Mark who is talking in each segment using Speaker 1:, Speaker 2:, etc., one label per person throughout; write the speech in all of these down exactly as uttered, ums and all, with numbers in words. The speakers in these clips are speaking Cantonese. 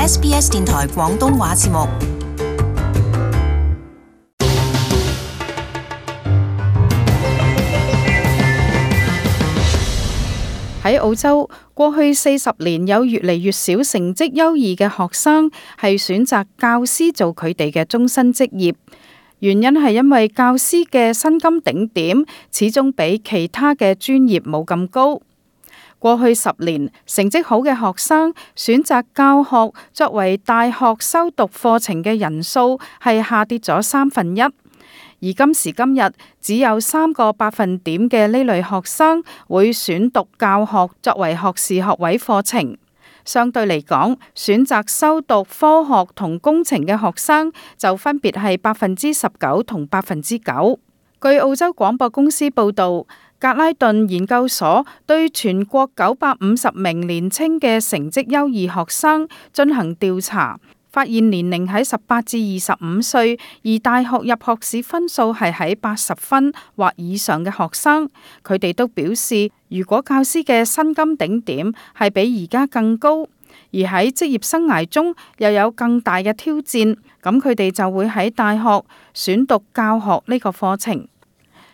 Speaker 1: S B S 電台廣東話節目。
Speaker 2: 喺澳洲，過去四十年有越嚟越少成績優異嘅學生係選擇教師做佢哋嘅終身職業，原因係因為教師嘅薪金頂點始終比其他嘅專業冇咁高。過去十年，成績好嘅學生選擇教學作為大學修讀課程嘅人數係下跌咗三分一。而今時今日，只有三個百分點嘅呢類學生會選讀教學作為學士學位課程。相對嚟講，選擇修讀科學同工程嘅學生就分別係百分之十九同百分之九。據澳洲廣播公司報導，格拉頓研究所對全國九百五十名年輕嘅成績優異學生進行調查，發現年齡喺十八至二十五歲，而大學入學試分數係喺八十分或以上嘅學生，佢哋都表示，如果教師嘅薪金頂點係比而家更高，而喺職業生涯中又有更大嘅挑戰，咁佢哋就會喺大學選讀教學呢個課程。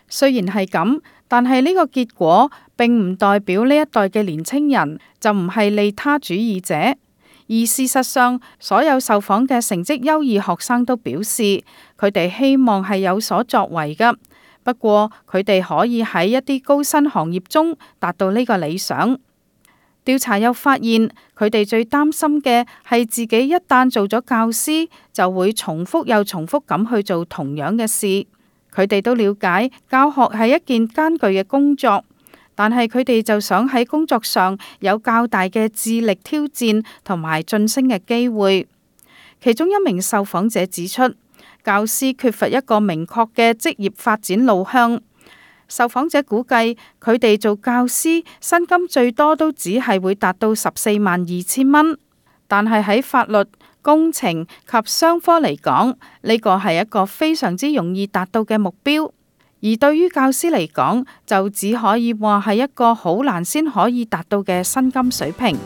Speaker 2: 雖然係咁，但係呢個結果並唔代表呢一代嘅年輕人就唔係利他主義者。而事實上，所有受訪嘅成績優異學生都表示，佢哋希望係有所作為㗎。不過，佢哋可以喺一啲高薪行業中達到呢個理想。調查又發現，佢哋最擔心嘅係自己一旦做咗教師，就會重複又重複咁去做同樣嘅事。佢哋都了解教學係一件艱巨嘅工作。但係佢哋就想喺工作上有較大嘅智力挑戰同埋晉升嘅機會。其中一名受訪者指出，教師缺乏一個明確嘅職業發展路向。受訪者估計佢哋做教師薪金最多都只係會達到十四萬二千蚊，但係喺法律、工程及商科嚟講，呢個係一個非常之容易達到嘅目標。而對於教師嚟講，就只可以話係一個好難先可以達到嘅薪金水平。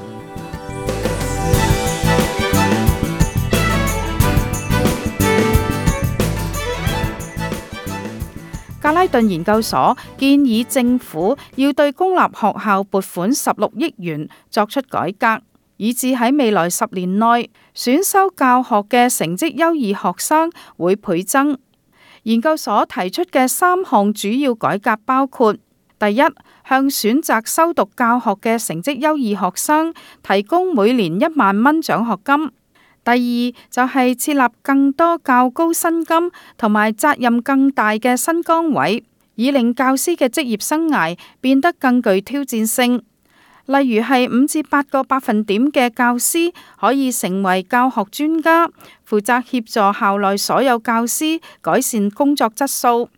Speaker 2: 格拉頓研究所建議政府要對公立學校撥款十六億元作出改革，以致喺未來十年內選修教學嘅成績優異學生會倍增。研究所提出嘅三項主要改革包括：第一，向選擇修讀教學嘅成績優異學生提供每年一萬蚊獎學金；第二，就係設立更多較高薪金同埋責任更大嘅新崗位，以令教師嘅職業生涯變得更具挑戰性。例如係五至八個百分點嘅教師可以成為教學專家，負責協助校內所有教師改善工作質素。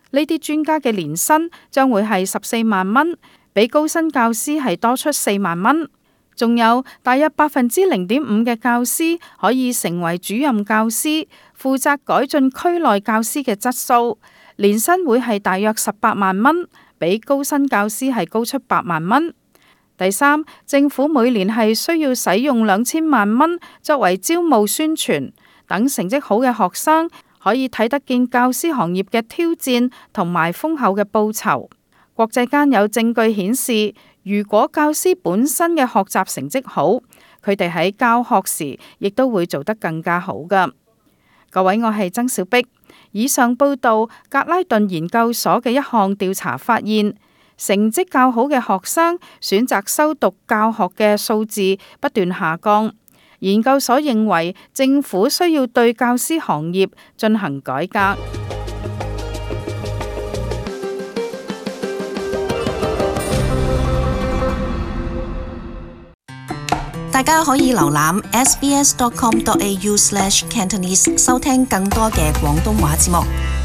Speaker 2: 呢啲專家嘅年薪將會係十四萬蚊，比高薪教師係多出四萬蚊。仲有大約百分之零點五嘅教師可以成為主任教師，負責改進區內教師嘅質素，年薪會係大約十八萬蚊，比高薪教師係高出八萬蚊。第三，政府每年係需要使用兩千萬蚊作為招募宣傳，等成績好嘅學生可以睇得見教師行業嘅挑戰同埋豐厚嘅報酬。國際間有證據顯示，如果教師本身嘅學習成績好，佢哋喺教學時亦都會做得更加好㗎。各位，我係曾小碧。以上報道格拉頓研究所嘅一項調查發現，成績較好嘅學生選擇修讀教學嘅數字不斷下降。研究所認為政府需要對教師行業進行改革。
Speaker 1: 大家可以瀏覽 s b s dot com dot a u slash cantonese 收聽更多嘅廣東話節目。